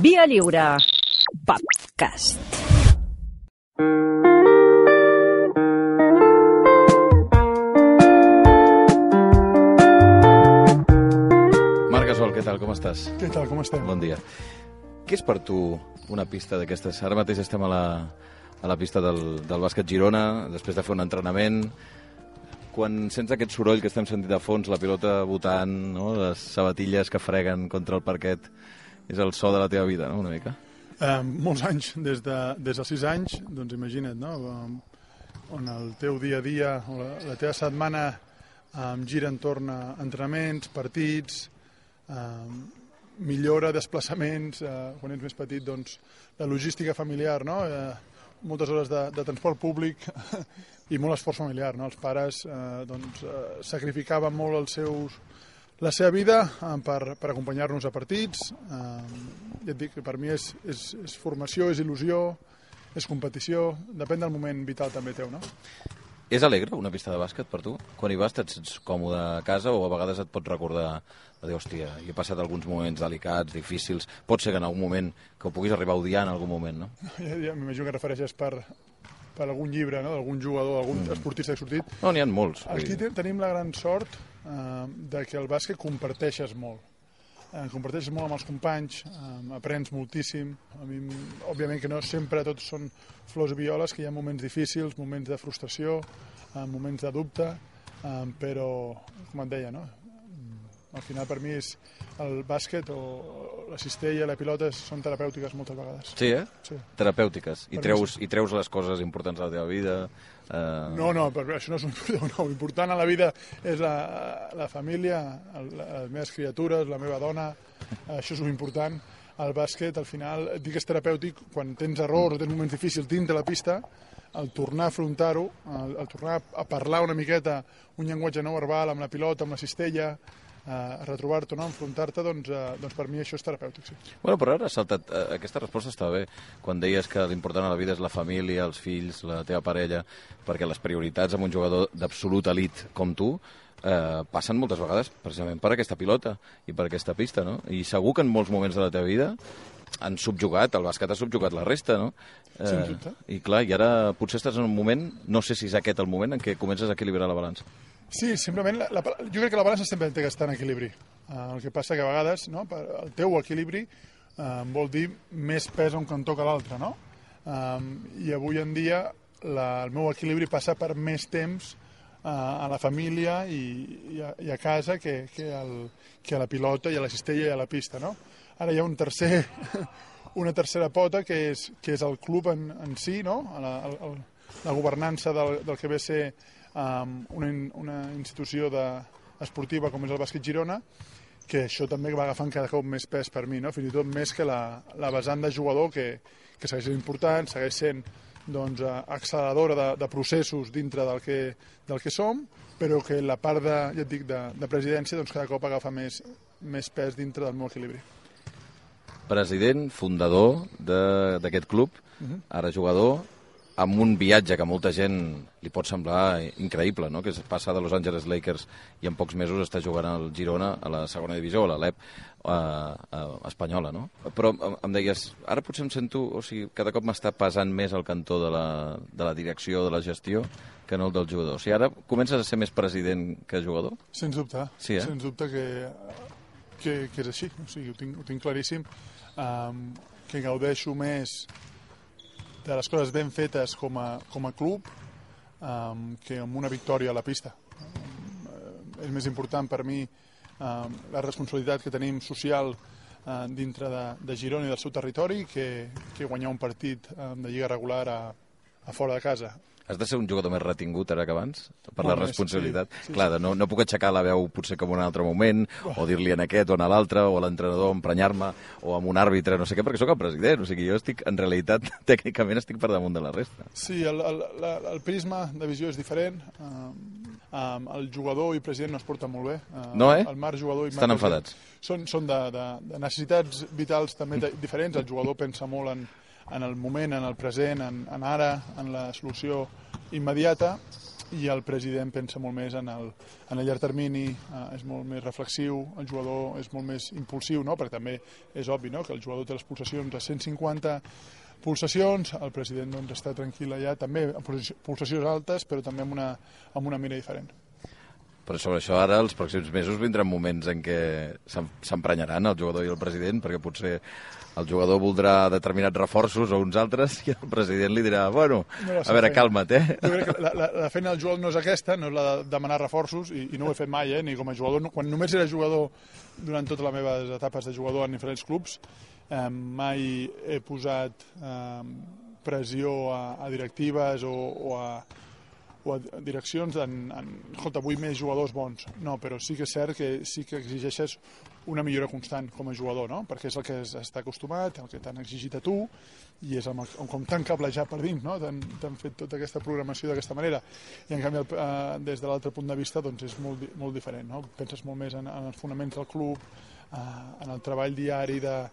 Via Lliure Podcast. Marc Gasol, què tal? Com estàs? Què tal, com estem? Bon dia. Què és per tu una pista d'aquestes? Ara mateix estem a la pista del bàsquet Girona, després de fer un entrenament. Quan sents aquest soroll que estem sentint de fons, la pilota botant, no? Les sabatilles que freguen contra el parquet, és el so de la teva vida, no? Una mica? Molts anys, des dels 6 anys, doncs imagina't, no? On el teu dia a dia, o la teva setmana gira entorn a entrenaments, partits, millora, desplaçaments, quan ets més petit, doncs, la logística familiar, no? Moltes hores de transport públic i molt esforç familiar, no? Els pares sacrificaven molt la seva vida per acompanyar-nos a partits. Ja et dic que per mi és formació, és il·lusió, és competició, depèn del moment vital també teu, no? És alegre una pista de bàsquet per tu? Quan hi vas et sents còmode a casa o a vegades et pots recordar de dir, hòstia, he passat alguns moments delicats, difícils, pot ser que en algun moment que ho puguis arribar a odiar en algun moment, no? Ja m'imagino que refereixes per algun llibre, no? D'algun jugador, algun esportista que ha sortit. No, n'hi ha molts. Aquí tenim la gran sort de que el bàsquet comparteixes molt. Comparteixes molt amb els companys, aprens moltíssim. A mi, òbviament que no sempre tots són flors i violes, que hi ha moments difícils, moments de frustració, moments de dubte, però, com et deia, no? Al final per mi el bàsquet o la cistella, la pilota són terapèutiques moltes vegades. Sí, eh? Sí. Terapèutiques. I treus les coses importants de la teva vida. No, però això no és important. No. L'important a la vida és la família, les meves criatures, la meva dona. Això és important. El bàsquet, al final, et dic que és terapèutic quan tens errors o tens moments difícils dins de la pista, el tornar a afrontar-ho, el tornar a parlar una miqueta un llenguatge no verbal amb la pilota, amb la cistella, a retrobar-te, no? Enfrontar-te, doncs per mi això és terapèutic, sí. Bueno, però ara has saltat, aquesta resposta està bé, quan deies que l'important a la vida és la família, els fills, la teva parella, perquè les prioritats amb un jugador d'absolut elit com tu passen moltes vegades precisament per aquesta pilota i per aquesta pista, no? I segur que en molts moments de la teva vida han subjugat, el bàsquet ha subjugat la resta, no? Sens dubte. I clar, i ara potser estàs en un moment, no sé si és aquest el moment en què comences a equilibrar la balança. Sí, simplement, jo crec que la balança sempre té que estar en equilibri. El que passa que a vegades, no, el teu equilibri vol dir més pes a un cantó que a l'altre, no? I avui en dia el meu equilibri passa per més temps a la família i a casa que a la pilota i a la cistella i a la pista, no? Ara hi ha una tercera pota que és el club en si, no? La governança del que ve a ser una institució esportiva com és el bàsquet Girona, que això també va agafant cada cop més pes per mi, no? Fins i tot més que la vessant de jugador, que segueix sent important, segueix sent doncs, acceleradora de processos dintre del que som, però que la part ja et dic, de presidència doncs, cada cop agafa més pes dintre del meu equilibri. President, fundador d'aquest club, ara jugador, amb un viatge que a molta gent li pot semblar increïble, no? Que es passa de Los Angeles Lakers i en pocs mesos està jugant al Girona a la segona divisió, a l'Alep espanyola, no? Però em deies, ara potser em sento, o sigui, cada cop m'està pesant més el cantó de la direcció, de la gestió, que no el del jugador. O sigui, ara comences a ser més president que jugador? Sens dubte, sí, sens dubte que és així, o sigui, ho tinc claríssim, que gaudeixo més de les coses ben fetes com a club que amb una victòria a la pista. És més important per mi la responsabilitat que tenim social dintre de Girona i del seu territori que guanyar un partit de lliga regular a fora de casa. Has de ser un jugador més retingut ara que abans, per la responsabilitat. Sí. Clar, no puc aixecar la veu potser com en un altre moment, o dir-li en aquest o en l'altre, o a l'entrenador emprenyar-me, o amb un àrbitre, no sé què, perquè sóc el president. O sigui, jo en realitat, tècnicament estic per damunt de la resta. Sí, el prisma de visió és diferent. El jugador i president no es porten molt bé. No, eh? El Marc jugador i Marc estan enfadats. Són de necessitats vitals també diferents. El jugador pensa molt en el moment, en el present, en ara, en la solució immediata. i el president pensa molt més en el llarg termini, és molt més reflexiu, el jugador és molt més impulsiu, no? Perquè també és obvi, no?, que el jugador té les pulsacions a 150 pulsacions, el president doncs, està tranquil allà, també amb pulsacions altes, però també amb una mira diferent. Però sobre això ara, els pròxims mesos, vindran moments en què s'emprenyaran el jugador i el president, perquè potser el jugador voldrà determinats reforços o uns altres i el president li dirà, bueno, a veure, calma't, Jo crec que la feina del jugador no és aquesta, no és la de demanar reforços, i no ho he fet mai, ni com a jugador. Quan només era jugador, durant totes les meves etapes de jugador en diferents clubs, mai he posat pressió a directives o a direccions escolta, vull més jugadors bons. No, però sí que és cert que sí que exigeixes una millora constant com a jugador, no? Perquè és el que està acostumat, el que t'han exigit a tu, i és com t'han cablejat per dins, no? T'han fet tota aquesta programació d'aquesta manera. I en canvi, des de l'altre punt de vista, doncs és molt diferent, no? Penses molt més en els fonaments del club, en el treball diari, de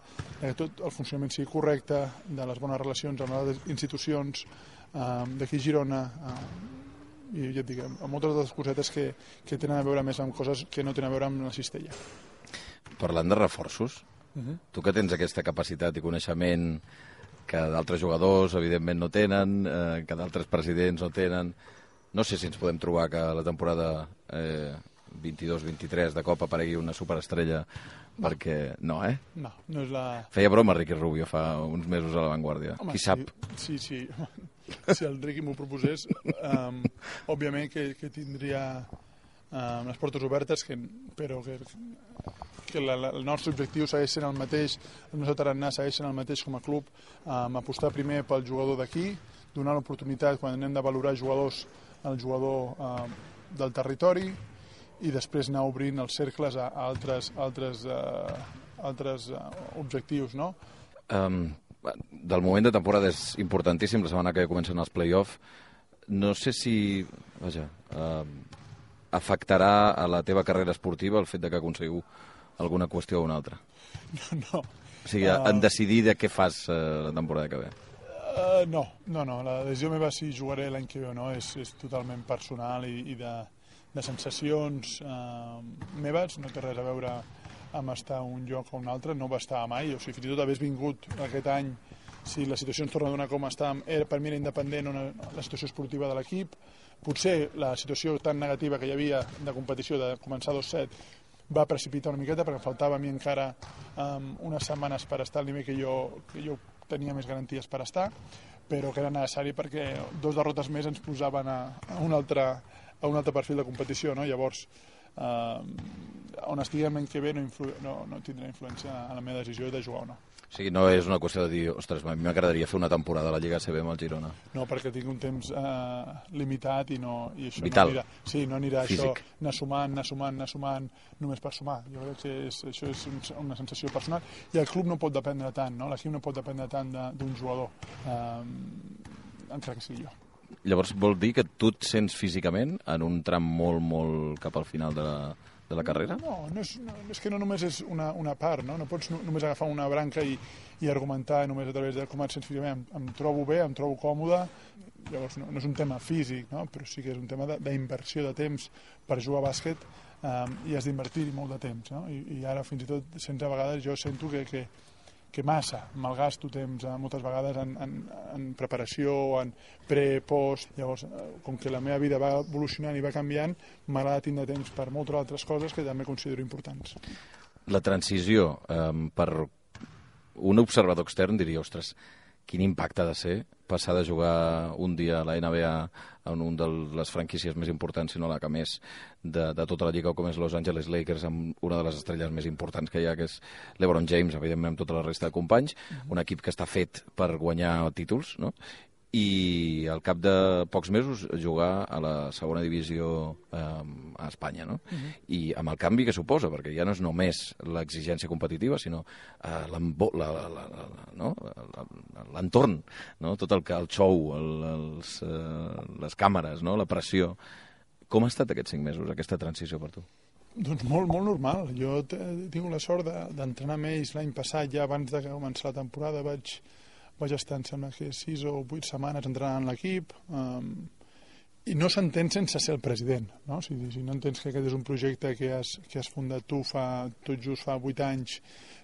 tot el funcionament sigui correcte, de les bones relacions amb les institucions, d'aquí a Girona, i ja et dic, amb moltes altres cosetes que tenen a veure més amb coses que no tenen a veure amb la cistella. Parlant de reforços, tu que tens aquesta capacitat i coneixement que d'altres jugadors evidentment no tenen, que d'altres presidents no tenen, no sé si ens podem trobar que la temporada 22-23 de cop aparegui una superestrella, perquè no, No, no és la... Feia broma Ricky Rubio fa uns mesos a La Vanguardia. Qui sap? Sí. Si el Ricky m'ho proposés, òbviament que tindria les portes obertes, però que el nostre objectiu segueix sent el mateix, el nostre tarannà segueix sent el mateix com a club, apostar primer pel jugador d'aquí, donar l'oportunitat quan anem de valorar jugadors al jugador del territori, i després anar obrint els cercles a altres objectius, no? Del moment de temporada és importantíssim, la setmana que comencen els play-off. No sé si afectarà a la teva carrera esportiva el fet de que aconseguiu alguna qüestió o una altra. No. O sigui, en decidir de què fas la temporada que ve. No, la decisió meva si jugaré l'any que ve o no és totalment personal i de sensacions meves, no té res a veure amb estar a un lloc o un altre, no va estar mai, o sigui, fins i tot hagués vingut aquest any, si la situació ens torna a donar com estàvem, per mi era independent la situació esportiva de l'equip, potser la situació tan negativa que hi havia de competició, de començar 2-7, va precipitar una miqueta, perquè faltava a mi encara unes setmanes per estar al nivell que jo tenia més garanties per estar, però que era necessari perquè 2 derrotes més ens posaven a un altre perfil de competició, no? Llavors, on estiguem l'any que ve no tindrà influència en la meva decisió de jugar o no. O sigui, no és una qüestió de dir, ostres, a mi m'agradaria fer una temporada a la Lliga ACB amb el Girona. No, perquè tinc un temps limitat i això vital. No anirà. Sí, no anirà físic. Això anar sumant només per sumar. Jo crec que això és una sensació personal i el club no pot dependre tant, no? L'equip no pot dependre tant d'un jugador, encara que sigui jo. Llavors vol dir que tu et sents físicament en un tram molt cap al final de la carrera? No, és que no només és una part, no? No pots només agafar una branca i argumentar només a través de com et sents físicament. Em trobo bé, em trobo còmode, llavors no és un tema físic, no? Però sí que és un tema d'inversió de temps per jugar a bàsquet i has d'invertir molt de temps, no? I ara fins i tot a vegades jo sento que massa malgasto temps moltes vegades en preparació, en pre, post. Llavors, com que la meva vida va evolucionant i va canviant, m'agrada tindre temps per moltes altres coses que també considero importants. La transició, per un observador extern diria, ostres, quin impacte ha de ser passar de jugar un dia a la NBA en un de les franquícies més importants, si no la que més, de tota la lliga, com és Los Angeles Lakers, amb una de les estrelles més importants que hi ha, que és LeBron James, evidentment amb tota la resta de companys, un equip que està fet per guanyar títols, no? I al cap de pocs mesos jugar a la segona divisió a Espanya, no? I amb el canvi que suposa, perquè ja no és només l'exigència competitiva, sinó l'entorn, no? Tot el show, les càmeres, no? La pressió. Com ha estat aquests 5 mesos, aquesta transició per tu? Doncs molt normal. Jo he tingut la sort d'entrenar amb ells l'any passat, ja abans de començar la temporada vaig estar, em sembla que 6 o 8 setmanes entrenant l'equip, I no s'entén sense ser el president, no? Si no entens que aquest és un projecte que has fundat tu tot just fa 8 anys,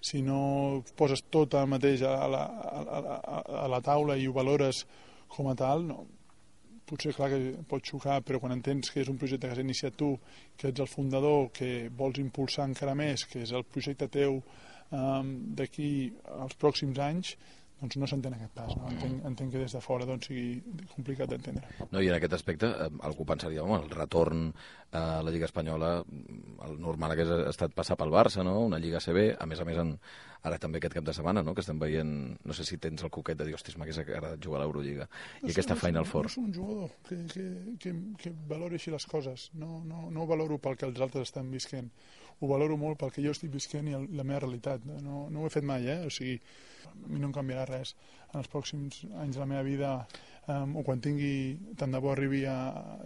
si no poses tot el mateix a la taula i ho valores com a tal, no, potser clar que pot xocar, però quan entens que és un projecte que has iniciat tu, que ets el fundador, que vols impulsar encara més, que és el projecte teu d'aquí als pròxims anys, doncs no s'entén aquest pas. No? Entenc que des de fora doncs, sigui complicat d'entendre. No, i en aquest aspecte algú pensaria, home, el retorn a la Lliga Espanyola, el normal hagués estat passar pel Barça, no? Una Lliga CB, a més, ara també aquest cap de setmana, no? Que estem veient, no sé si tens el coquet de dir, hòstia, m'hagués agradat jugar a l'Eurolliga. I aquesta Final Four. No soc un jugador que valori així les coses. No ho valoro pel que els altres estan visquent. Ho valoro molt pel que jo estic visquent i la meva realitat. No ho he fet mai, o sigui, a mi no em canviarà res en els pròxims anys de la meva vida, o quan tingui, tant de bo arribi a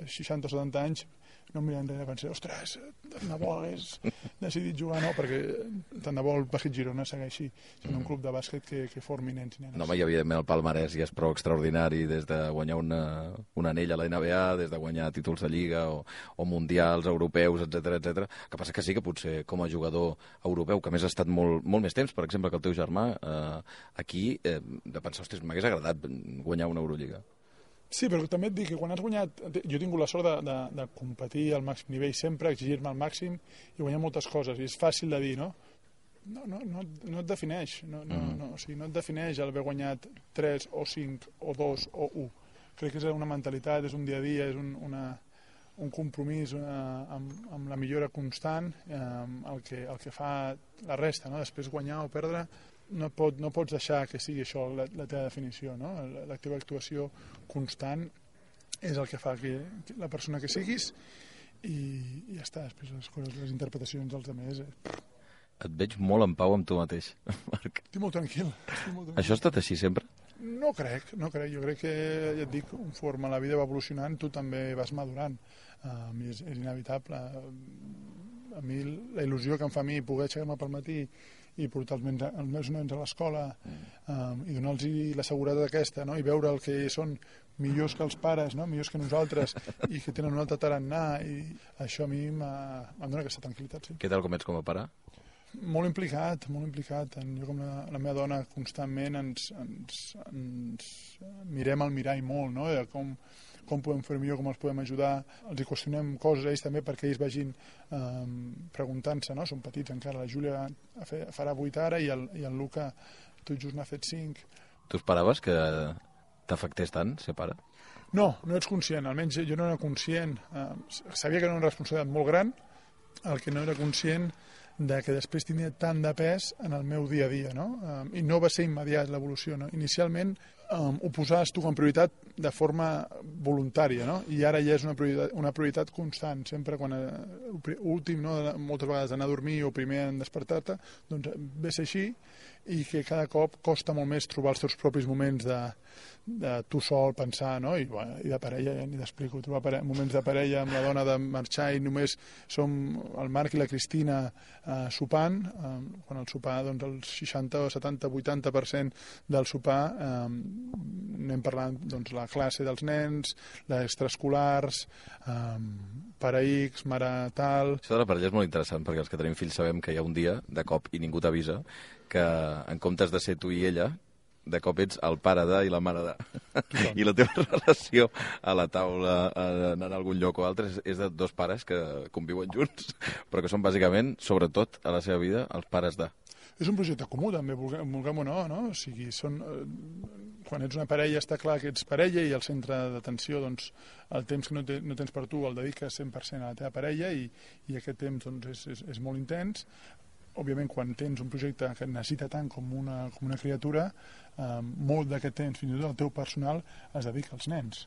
60 o 70 anys, no em miraré enrere i pensaré, ostres, tant de bo hagués decidit jugar, no, perquè tant de bo el Bàsquet Girona segueixi sent un club de bàsquet que formi nens i nenes. No, i evidentment el palmarès ja és prou extraordinari, des de guanyar un anell a la NBA, des de guanyar títols de Lliga o mundials, europeus, etc. Que passa que sí que potser com a jugador europeu, que a més ha estat molt més temps, per exemple, que el teu germà, aquí, de pensar, ostres, m'hagués agradat guanyar una Eurolliga. Sí, però també et dic que quan has guanyat... Jo he tingut la sort de competir al màxim nivell sempre, exigir-me al màxim i guanyar moltes coses. I és fàcil de dir, no? No et defineix. O sigui, no et defineix el haver guanyat 3 o 5 o 2 o 1. Crec que és una mentalitat, és un dia a dia, és un compromís amb la millora constant, el que fa la resta, no? Després guanyar o perdre... No pots deixar que sigui això la teva definició, no? La teva actuació constant és el que fa que la persona que siguis i ja està, després les interpretacions dels altres. Et veig molt en pau amb tu mateix, Marc. Estic molt tranquil. Això ha estat així sempre? No crec. Jo crec que, ja et dic, conforme la vida va evolucionant, tu també vas madurant. És inevitable. A mi, la il·lusió que em fa a mi poder aixecar-me pel matí i portar els meus nens a l'escola i donar-los la seguretat aquesta, no? I veure el que són millors que els pares, no? Millors que nosaltres i que tenen un altre tarannà, i això a mi em dona aquesta tranquil·litat. Sí. Què tal com ets com a pare? Molt implicat. Jo com la meva dona constantment ens mirem al mirall molt, no? Com podem fer millor, com els podem ajudar. Els hi qüestionem coses a ells també perquè ells vagin preguntant-se, no? Són petits encara. La Júlia farà 8 ara i el Luca tot just n'ha fet 5. Tu esperaves que t'afectés tant ser pare? No ets conscient. Almenys jo no era conscient. Sabia que era una responsabilitat molt gran, el que no era conscient de que després tindria tant de pes en el meu dia a dia, no? I no va ser immediat l'evolució, no? Inicialment ho posaves tu com a prioritat de forma voluntària, no? I ara ja és una prioritat constant, sempre quan últim, no? Moltes vegades anar a dormir o primer en despertar-te, doncs ve ser així, i que cada cop costa molt més trobar els teus propis moments de tu sol pensar, no? I de parella, ja ni t'explico, trobar moments de parella amb la dona de marxar i només som el Marc i la Cristina sopant, quan el sopar, doncs el 60, 70, 80% del sopar anem parlant, doncs, la classe dels nens, les extraescolars, pare X, mare tal... Això de la parella és molt interessant, perquè els que tenim fills sabem que hi ha un dia, de cop, i ningú t'avisa, que en comptes de ser tu i ella, de cop ets el pare de i la mare de. I la teva relació a la taula, anar a algun lloc o altre, és de dos pares que conviuen junts, però que són bàsicament, sobretot a la seva vida, els pares de. És un projecte comú, també, vulguem o no? O sigui, quan ets una parella està clar que ets parella i el centre d'atenció, doncs, el temps que no tens per tu el dediques 100% a la teva parella i aquest temps doncs, és molt intens. Òbviament, quan tens un projecte que et necessita tant com una criatura, molt d'aquest temps, fins i tot el teu personal, es dedica als nens.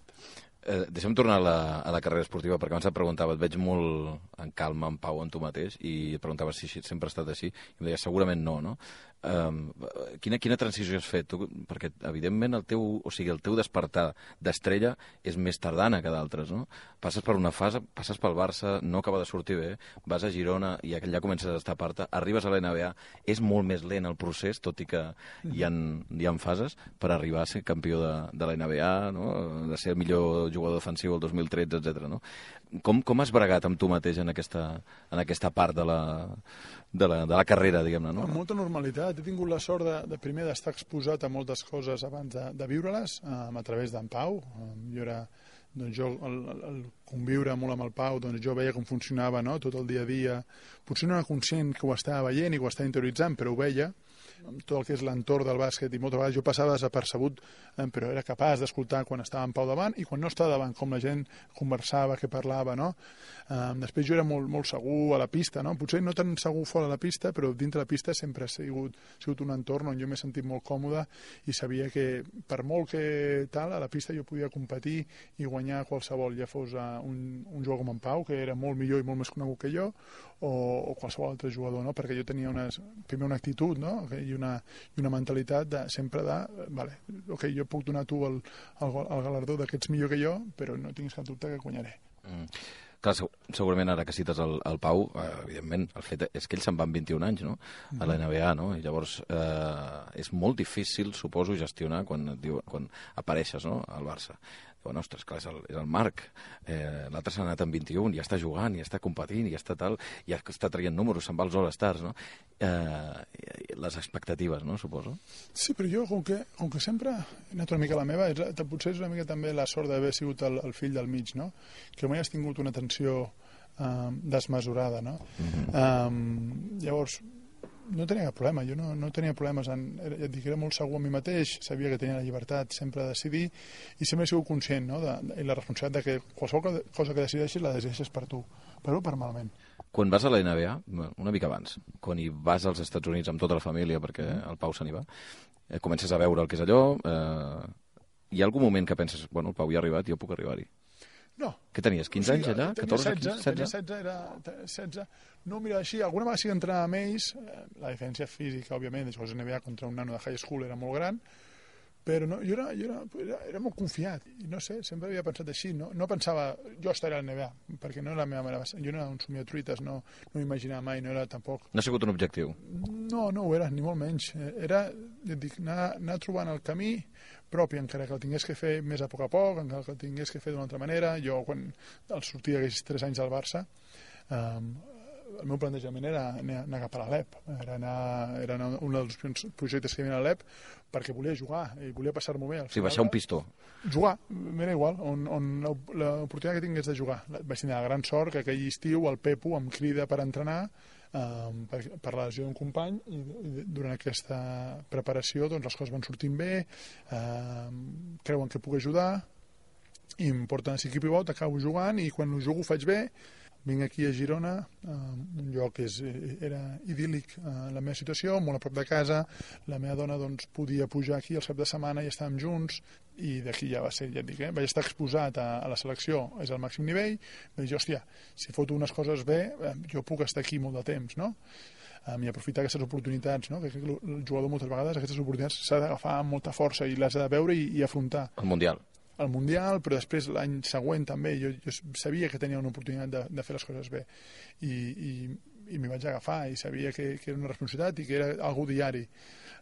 Deixa'm tornar a la carrera esportiva, perquè abans et preguntava, et veig molt en calma, en pau en tu mateix, i et preguntava si sempre ha estat així, i em deies segurament no? quina transició has fet? Tu, perquè, evidentment, el teu despertar d'estrella és més tardana que d'altres, no? Passes per una fase, passes pel Barça, no acaba de sortir bé, vas a Girona i allà comences a destapar-te, arribes a la NBA, és molt més lent el procés, tot i que hi ha fases per arribar a ser campió de la NBA, no? De ser el millor jugador defensiu el 2013, etc. No? Com has bregat amb tu mateix en aquesta part de la carrera, diguem-ne, no? Amb molta normalitat. He tingut la sort de primer d'estar exposat a moltes coses abans de viure-les, a través d'en Pau. El conviure molt amb el Pau, doncs jo veia com funcionava, no? Tot el dia a dia. Potser no era conscient que ho estava veient i que ho estava interioritzant, però ho veia, amb tot el que és l'entorn del bàsquet, i moltes vegades jo passava desapercebut, però era capaç d'escoltar quan estava en Pau davant i quan no estava davant, com la gent conversava, que parlava, no? Després jo era molt segur a la pista, no? Potser no tan segur fora de la pista, però dintre la pista sempre ha sigut un entorn on jo m'he sentit molt còmode i sabia que per molt que tal, a la pista jo podia competir i guanyar qualsevol, ja fos un jugador com en Pau, que era molt millor i molt més conegut que jo, o qualsevol altre jugador, no? Perquè jo tenia primer una actitud, no? I una mentalitat sempre vale, ok, jo puc donar a tu el galardó que ets millor que jo, però no tinguis cap dubte que guanyaré. Clar, segurament ara que cites el Pau, evidentment, el fet és que ell se'n va amb 21 anys, no?, a la NBA, no?, i llavors és molt difícil, suposo, gestionar quan apareixes, no?, al Barça. Diuen, ostres, clar, és el Marc, l'altre s'ha anat amb 21, ja està jugant, ja està competint, ja està tal, ja està traient números, se'n va als All-Stars, no? Les expectatives, no?, suposo. Sí, però jo, com que sempre he anat una mica a la meva, potser és una mica també la sort d'haver sigut el fill del mig, no?, que mai has tingut una atenció desmesurada, no? Llavors, no tenia cap problema, jo no tenia problemes, ja et dic, era molt segur a mi mateix, sabia que tenia la llibertat sempre de decidir i sempre he sigut conscient, no?, i la responsabilitat de que qualsevol cosa que decideixis la decideixes per tu, però per malament. Quan vas a la NBA, una mica abans, quan hi vas als Estats Units amb tota la família, perquè el Pau se n'hi va, comences a veure el que és allò, hi ha algun moment que penses, bueno, el Pau ja ha arribat, jo puc arribar-hi? No. Què tenies, 15 anys allà? 14, 16? Tenia 16, era 16. No, mira, així, alguna vegada sí que entrenava amb ells, la diferència física, òbviament, de jugar a NBA contra un nano de high school era molt gran, però no, jo era molt confiat, i no sé, sempre havia pensat així, no pensava, jo estaré a la NBA, perquè no era la meva manera, jo no era un somiatruites, no imaginava mai, no era tampoc... No ha sigut un objectiu? No ho era, ni molt menys. Era, ja et dic, anar trobant el camí propi, encara que el tingués que fer més a poc, encara que el tingués que fer d'una altra manera. Jo, quan sortia aquells 3 anys al Barça, el meu plantejament era anar cap a l'Alep, era un dels projectes que hi havia a l'Alep, perquè volia jugar i volia passar-m'ho bé. Sí, baixar un pistó. Jugar, m'era igual, on l'oportunitat que tingués de jugar. Vaig tenir la gran sort que aquell estiu el Pepu em crida per entrenar per la lesió d'un company i durant aquesta preparació doncs, les coses van sortint bé, creuen que puc ajudar i em porten a Siqui Pivot, acabo jugant i quan ho jugo ho faig bé. Vinc aquí a Girona, un lloc que era idíl·lic la meva situació, molt a prop de casa, la meva dona doncs, podia pujar aquí el cap de setmana i estàvem junts, i d'aquí ja va ser, ja et dic, vaig estar exposat a la selecció, és al màxim nivell, vaig dir, hòstia, si foto unes coses bé, jo puc estar aquí molt de temps, no? I aprofitar aquestes oportunitats, no? Que el jugador moltes vegades aquestes oportunitats s'ha d'agafar amb molta força i les ha de veure i afrontar. El Mundial, però després l'any següent també jo sabia que tenia una oportunitat de fer les coses bé i m'hi vaig agafar i sabia que era una responsabilitat i que era algo diari i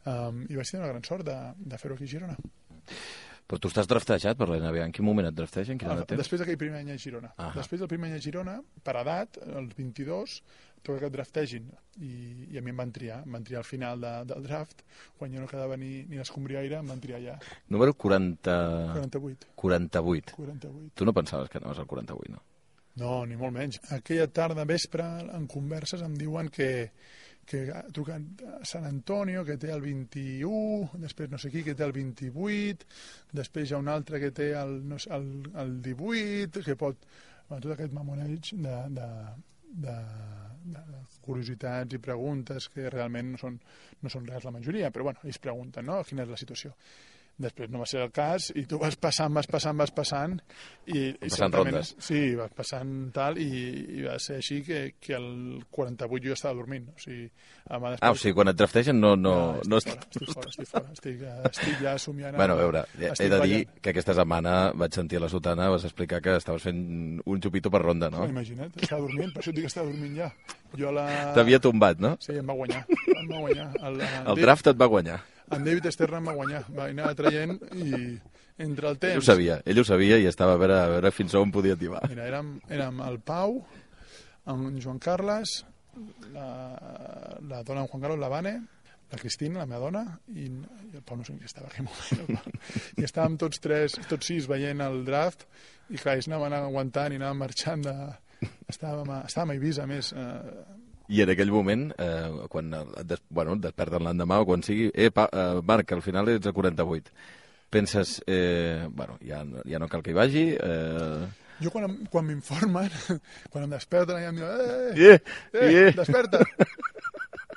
vaig tenir una gran sort de fer-ho aquí a Girona. Però tu estàs draftejat per la NBA. En quin moment et draftegen? Després d'aquell primer any a Girona. Després del primer any a Girona, per edat, als 22, toca que et draftegin. I a mi em van triar al final del draft, quan jo no quedava ni l'escombriaire, em van triar ja. Número 48. 48. Tu no pensaves que anaves al 48, no? No, ni molt menys. Aquella tarda, vespre, en converses, em diuen que ha trucat a San Antonio, que té el 21, després no sé qui, que té el 28, després hi ha un altre que té el 18, que pot... Bueno, tot aquest mamoneig de curiositats i preguntes que realment no són res la majoria, però bueno, ells pregunten, no?, quina és la situació. Després no va ser el cas, i tu vas passant, i passant rondes. Sí, vas passant tal, i va ser així que al 48 jo estava dormint. O sigui, o sigui, quan et draftegen no... Estic fora. Estic ja somiant... Bueno, a veure, he de dir que aquesta setmana vaig sentir a la sotana, vas explicar que estaves fent un xupito per ronda, no? Imagina't, estava dormint, per això et dic que estava dormint ja. T'havia tombat, no? Sí, em va guanyar. El draft et va guanyar. En David Stern em va guanyar, va anar traient i entre el temps... Ell ho sabia i estava a veure fins on podia tibar. Mira, érem el Pau, en Joan Carles, la dona en Juan Carlos, la Vane, la Cristina, la meva dona, i el Pau no sé qui estava en aquell moment. I estàvem tots sis veient el draft, i clar, ells anaven aguantant i anaven marxant de... Estàvem a Eivissa, a més... I en aquell moment, quan et desperten l'endemà o quan sigui, Marc, al final ets a 48. Penses, ja no cal que hi vagi... Jo quan m'informen, quan em desperten, ja em diuen, desperta!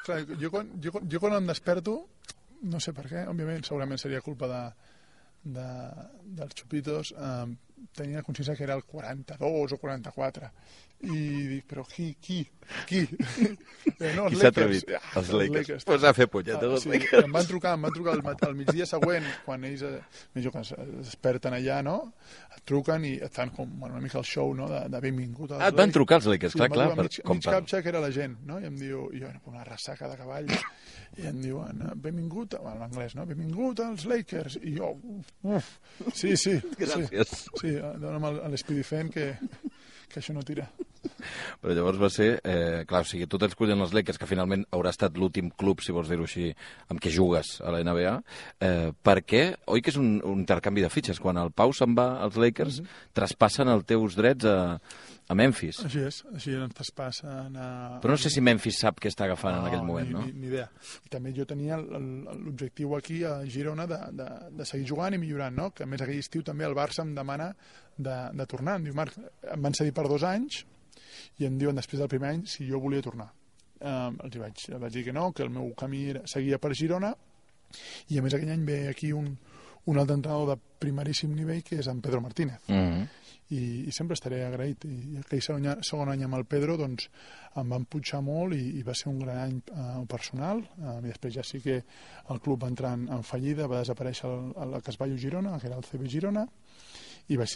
Clar, jo quan em desperto, no sé per què, òbviament, segurament seria culpa dels xupitos, tenia consciència que era el 42 o 44, i dic, però qui? No, qui s'ha atrevit? Els Lakers. Pues a fer punyetes els Lakers. Em van trucar al migdia següent, quan ells es desperten allà, no? Et truquen i et fan com una mica el show, no? De benvingut. Et van trucar els Lakers, clar. Mig captxa que era la gent, no? I em diu, una ressaca de cavall, i em diuen, benvingut, en anglès, no? Benvingut als Lakers. I jo, sí. Gràcies. Sí, dona'm l'Speedy Fen que això no tira. Però llavors va ser, clar, o sigui, tu t'escollen els Lakers, que finalment haurà estat l'últim club, si vols dir-ho així, amb què jugues a la NBA, perquè, oi que és un intercanvi de fitxes? Quan el Pau se'n va als Lakers, traspassen els teus drets a Memphis. Així és, així ens traspassen a... Però no sé si Memphis sap què està agafant en aquell moment, no? Ni idea. I també jo tenia l'objectiu aquí a Girona de seguir jugant i millorant, no? Que a més aquell estiu també el Barça em demana de tornar. Em diu, Marc, em van cedir per 2 anys i em diuen després del primer any si jo volia tornar. Els vaig dir que no, que el meu camí seguia per Girona, i a més aquell any ve aquí un altre entrenador de primeríssim nivell, que és en Pedro Martínez. I sempre estaré agraït. I aquell segon any amb el Pedro doncs, em van pujar molt i va ser un gran any personal. I després ja sí que el club va entrar en fallida, va desaparèixer el Casballo Girona, que era el CB Girona, i vaig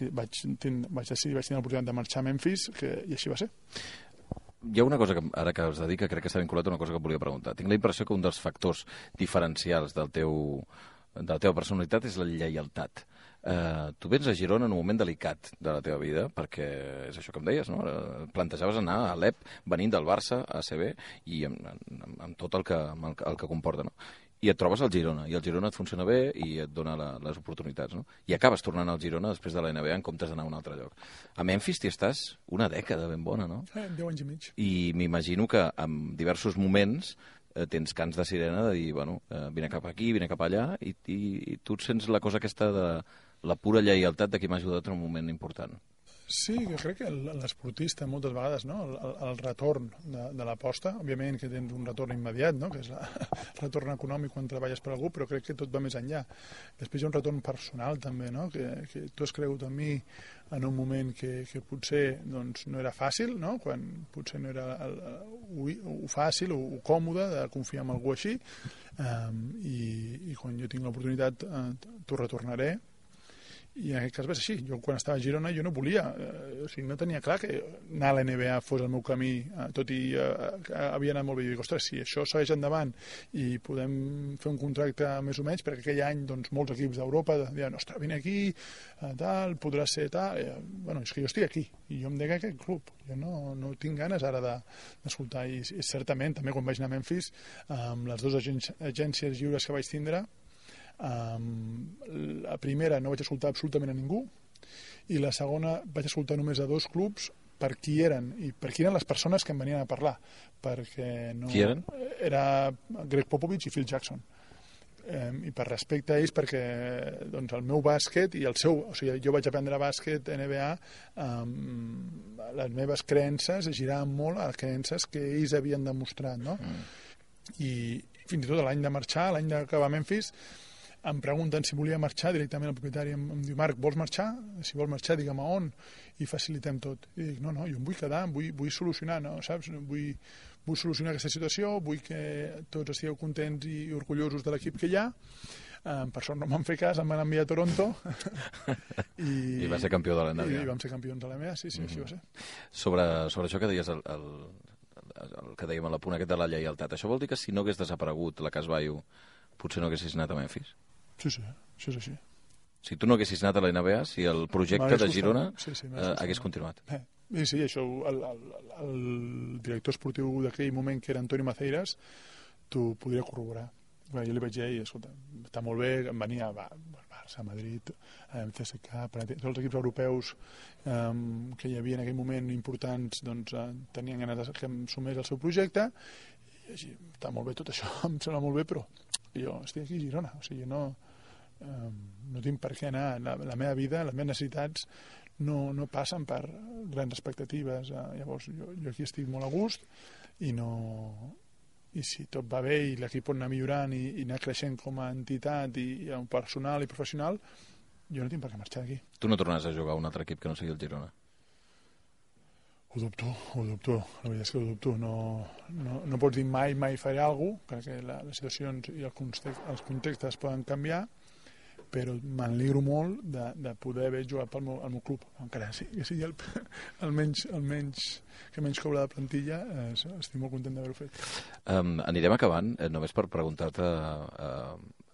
tenir l'oportunitat de marxar a Memphis, i així va ser. Hi ha una cosa que ara que us dedica, crec que està vinculat a una cosa que volia preguntar. Tinc la impressió que un dels factors diferencials de la teva personalitat és la lleialtat. Tu vens a Girona en un moment delicat de la teva vida, perquè és això que em deies, no? Plantejaves anar a Alep venint del Barça a ACB i amb tot el que comporta, no? I et trobes al Girona, i el Girona et funciona bé i et dona les oportunitats, no? I acabes tornant al Girona després de la NBA en comptes d'anar a un altre lloc. A Memphis t'hi estàs una dècada ben bona, no? 10 anys i mig. I m'imagino que en diversos moments tens cants de sirena de dir, bueno, vine cap aquí, vine cap allà, i tu et sents la cosa aquesta de la pura lleialtat de qui m'ha ajudat en un moment important. Sí, jo crec que l'esportista moltes vegades, no? El retorn de l'aposta, òbviament que tens un retorn immediat, no? Que és el retorn econòmic quan treballes per algú, però crec que tot va més enllà. Després hi ha un retorn personal també, no? Que tu has cregut en mi en un moment que potser doncs, no era fàcil, no? Quan potser no era o fàcil o còmode de confiar en algú així, i quan jo tinc l'oportunitat t'ho retornaré. I en aquest cas va ser així. Jo quan estava a Girona jo no volia, o sigui, no tenia clar que anar a la NBA fos el meu camí, tot i havia anat molt bé. I dic, ostres, si això segueix endavant i podem fer un contracte més o menys, perquè aquell any doncs, molts equips d'Europa deien, ostres, vine aquí, tal, podrà ser tal... Bueno, és que jo estic aquí i jo em dec a aquest club. Jo no tinc ganes ara d'escoltar. I certament, també quan vaig anar a Memphis, amb les 2 agències lliures que vaig tindre, la primera no vaig escoltar absolutament a ningú, i la segona vaig escoltar només a 2 clubs per qui eren i per qui eren les persones que em venien a parlar, perquè no... Qui eren? Era Greg Popovich i Phil Jackson, i per respecte a ells, perquè doncs, el meu bàsquet i el seu, o sigui, jo vaig aprendre bàsquet NBA, les meves creences giraven molt a les creences que ells havien demostrat, no? I fins i tot l'any de marxar, l'any d'acabar a Memphis, em pregunten si volia marxar, directament el propietari em diu, Marc, vols marxar? Si vols marxar, digue'm a on, i facilitem tot. I dic, no, jo em vull quedar, vull solucionar, no, saps? Vull solucionar aquesta situació, vull que tots estigueu contents i orgullosos de l'equip que hi ha. Per sort no m'han fet cas, em van enviar a Toronto. I va ser campió de la NBA. I vam ser campions de la NBA, sí, així va ser. Sobre això que deies, el que dèiem a la punt aquest de la lleialtat, això vol dir que si no hagués desaparegut la Casbaio, potser no haguessis anat a Memphis? Sí, això és així. Si tu no haguessis anat a la NBA, si el projecte de Girona hagués continuat. Sí, això el director esportiu d'aquell moment, que era Antonio Maceiras, t'ho podria corroborar. Jo li vaig dir, escolta, està molt bé, em venia a Barça, Madrid, CSKA, tots els equips europeus que hi havia en aquell moment importants, doncs tenien ganes que em sumés al seu projecte, i així, està molt bé tot això, em sembla molt bé, però jo estic aquí a Girona, o sigui, no tinc per què anar, la meva vida, les meves necessitats no passen per grans expectatives, llavors jo aquí estic molt a gust i si tot va bé i l'equip pot anar millorant i anar creixent com a entitat i personal i professional, jo no tinc per què marxar d'aquí. Tu no tornaràs a jugar a un altre equip que no sigui el Girona? Ho dubto, la veritat és que ho dubto. No pots dir mai faré alguna cosa, perquè les situacions i els contextes poden canviar, però m'alegro molt de poder haver jugat pel meu club, encara que sigui el menys cobra de plantilla, estic molt content d'haver-ho fet. Anirem acabant, només per preguntar-te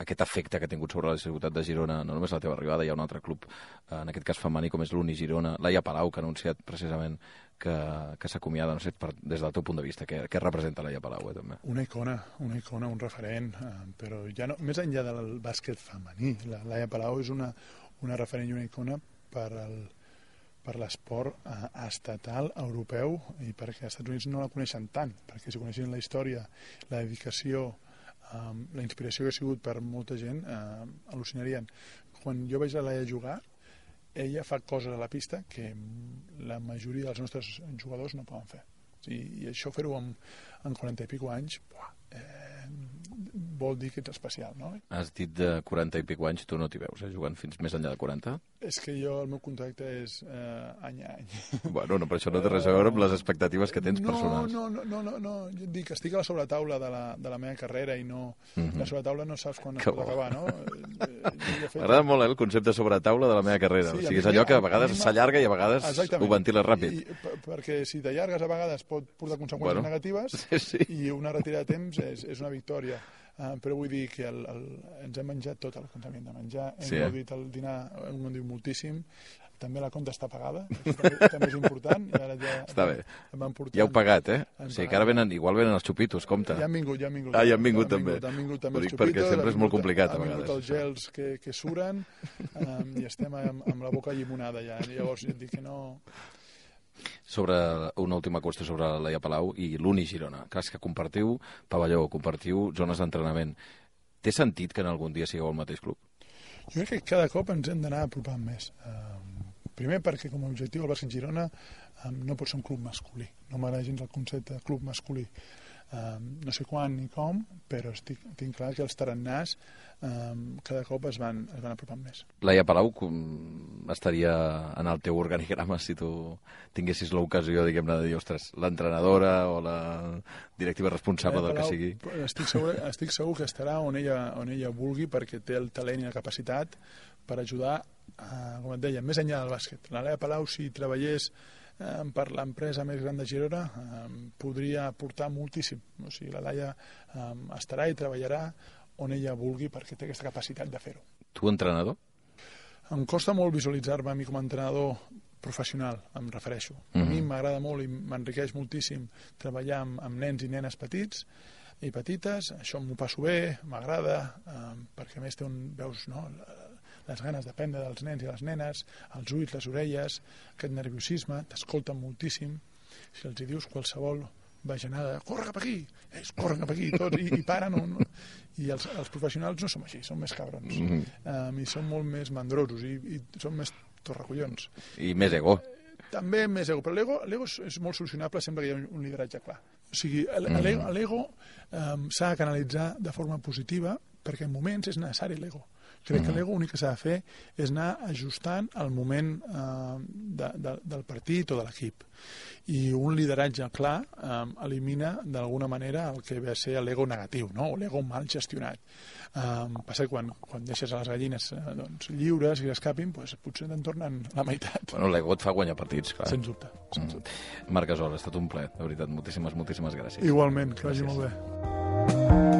aquest efecte que ha tingut sobre la ciutat de Girona, no només la teva arribada, hi ha un altre club, en aquest cas femení, com és l'Uni Girona, Laia Palau, que ha anunciat precisament que s'acomiada, no sé, des del teu punt de vista, què representa Laia Palau, també? Una icona, un referent, però ja no, més enllà del bàsquet femení, la Laia Palau és una referent i una icona per l'esport estatal europeu i perquè als Estats Units no la coneixen tant, perquè si coneixen la història, la dedicació, la inspiració que ha sigut per molta gent, al·lucinarien. Quan jo veig la Laia jugar, ella fa coses a la pista que la majoria dels nostres jugadors no poden fer. I això fer-ho en 40 i escaig anys vol dir que ets especial, no? Has dit de 40 i escaig anys, tu no t'hi veus, jugant fins més enllà de 40? És que el meu contracte és any a any. Bueno, no, però això no té res a veure amb les expectatives que tens personals. No, jo et dic que estic a la sobretaula de la meva carrera i no... La sobretaula no saps quan es pot acabar, no? M'agrada molt el concepte de sobretaula de la meva carrera. O sigui, és allò que a vegades s'allarga i a vegades ho ventiles ràpid. Perquè si t'allargues a vegades pot portar conseqüències negatives i una retirada de temps és una victòria. Però vull dir que ens hem menjat tot el que ens havíem de menjar, hem gaudit el dinar, hem gaudit moltíssim, també la compta està pagada, també és important. I ara està bé, ja heu pagat, O sigui que ara igual venen els xupitos, compte. Ja han vingut. Ah, ja han vingut també. Ho dic perquè sempre és molt complicat a vegades. Han vingut els gels que suren i estem amb la boca llimonada ja, llavors jo et dic que no... Sobre una última qüestió sobre la Laia Palau i l'Uni Girona. Clar, és que compartiu pavelló, compartiu zones d'entrenament. Té sentit que en algun dia sigueu al mateix club? Jo crec que cada cop ens hem d'anar apropant més. Primer perquè com a objectiu el Bàsquet Girona no pot ser un club masculí. No m'agrada gens el concepte de club masculí. No sé quan ni com, però tinc clar que els tarannàs cada cop es van apropant més. Laia Palau estaria en el teu organigrama si tu tinguessis l'ocasió, diguem-ne, de dir, ostres, l'entrenadora o la directiva responsable del que sigui? Estic segur que estarà on ella vulgui, perquè té el talent i la capacitat per ajudar, com et deia, més enllà del bàsquet. La Laia Palau, si treballés per l'empresa més gran de Girona, podria aportar moltíssim. O sigui, la Laia estarà i treballarà on ella vulgui perquè té aquesta capacitat de fer-ho. Tu, entrenador? Em costa molt visualitzar-me a mi com a entrenador professional, em refereixo. A mi m'agrada molt i m'enriqueix moltíssim treballar amb nens i nenes petits i petites, això m'ho passo bé, m'agrada, perquè a més veus les ganes d'aprendre dels nens i les nenes, els ulls, les orelles, aquest nerviosisme, t'escolten moltíssim. Si els hi dius qualsevol bajanada, corre cap aquí, corren cap aquí, tots, i paren. I els professionals no som així, som més cabrons. I som molt més mandrosos, i som més torracollons. I més ego. També més ego, però l'ego és molt solucionable sempre que hi ha un lideratge clar. O sigui, l'ego s'ha de canalitzar de forma positiva perquè en moments és necessari l'ego. Crec que l'ego l'únic que s'ha de fer és anar ajustant el moment del partit o de l'equip. I un lideratge clar elimina d'alguna manera el que ve a ser l'ego negatiu, no? O l'ego mal gestionat. Passa que quan deixes a les gallines lliures i escapin, potser te'n tornen la meitat. Bueno, l'ego et fa guanyar partits, clar. Sens dubte. Marc Gasol, ha estat un plaer, de veritat. Moltíssimes gràcies. Igualment, que vagi molt bé.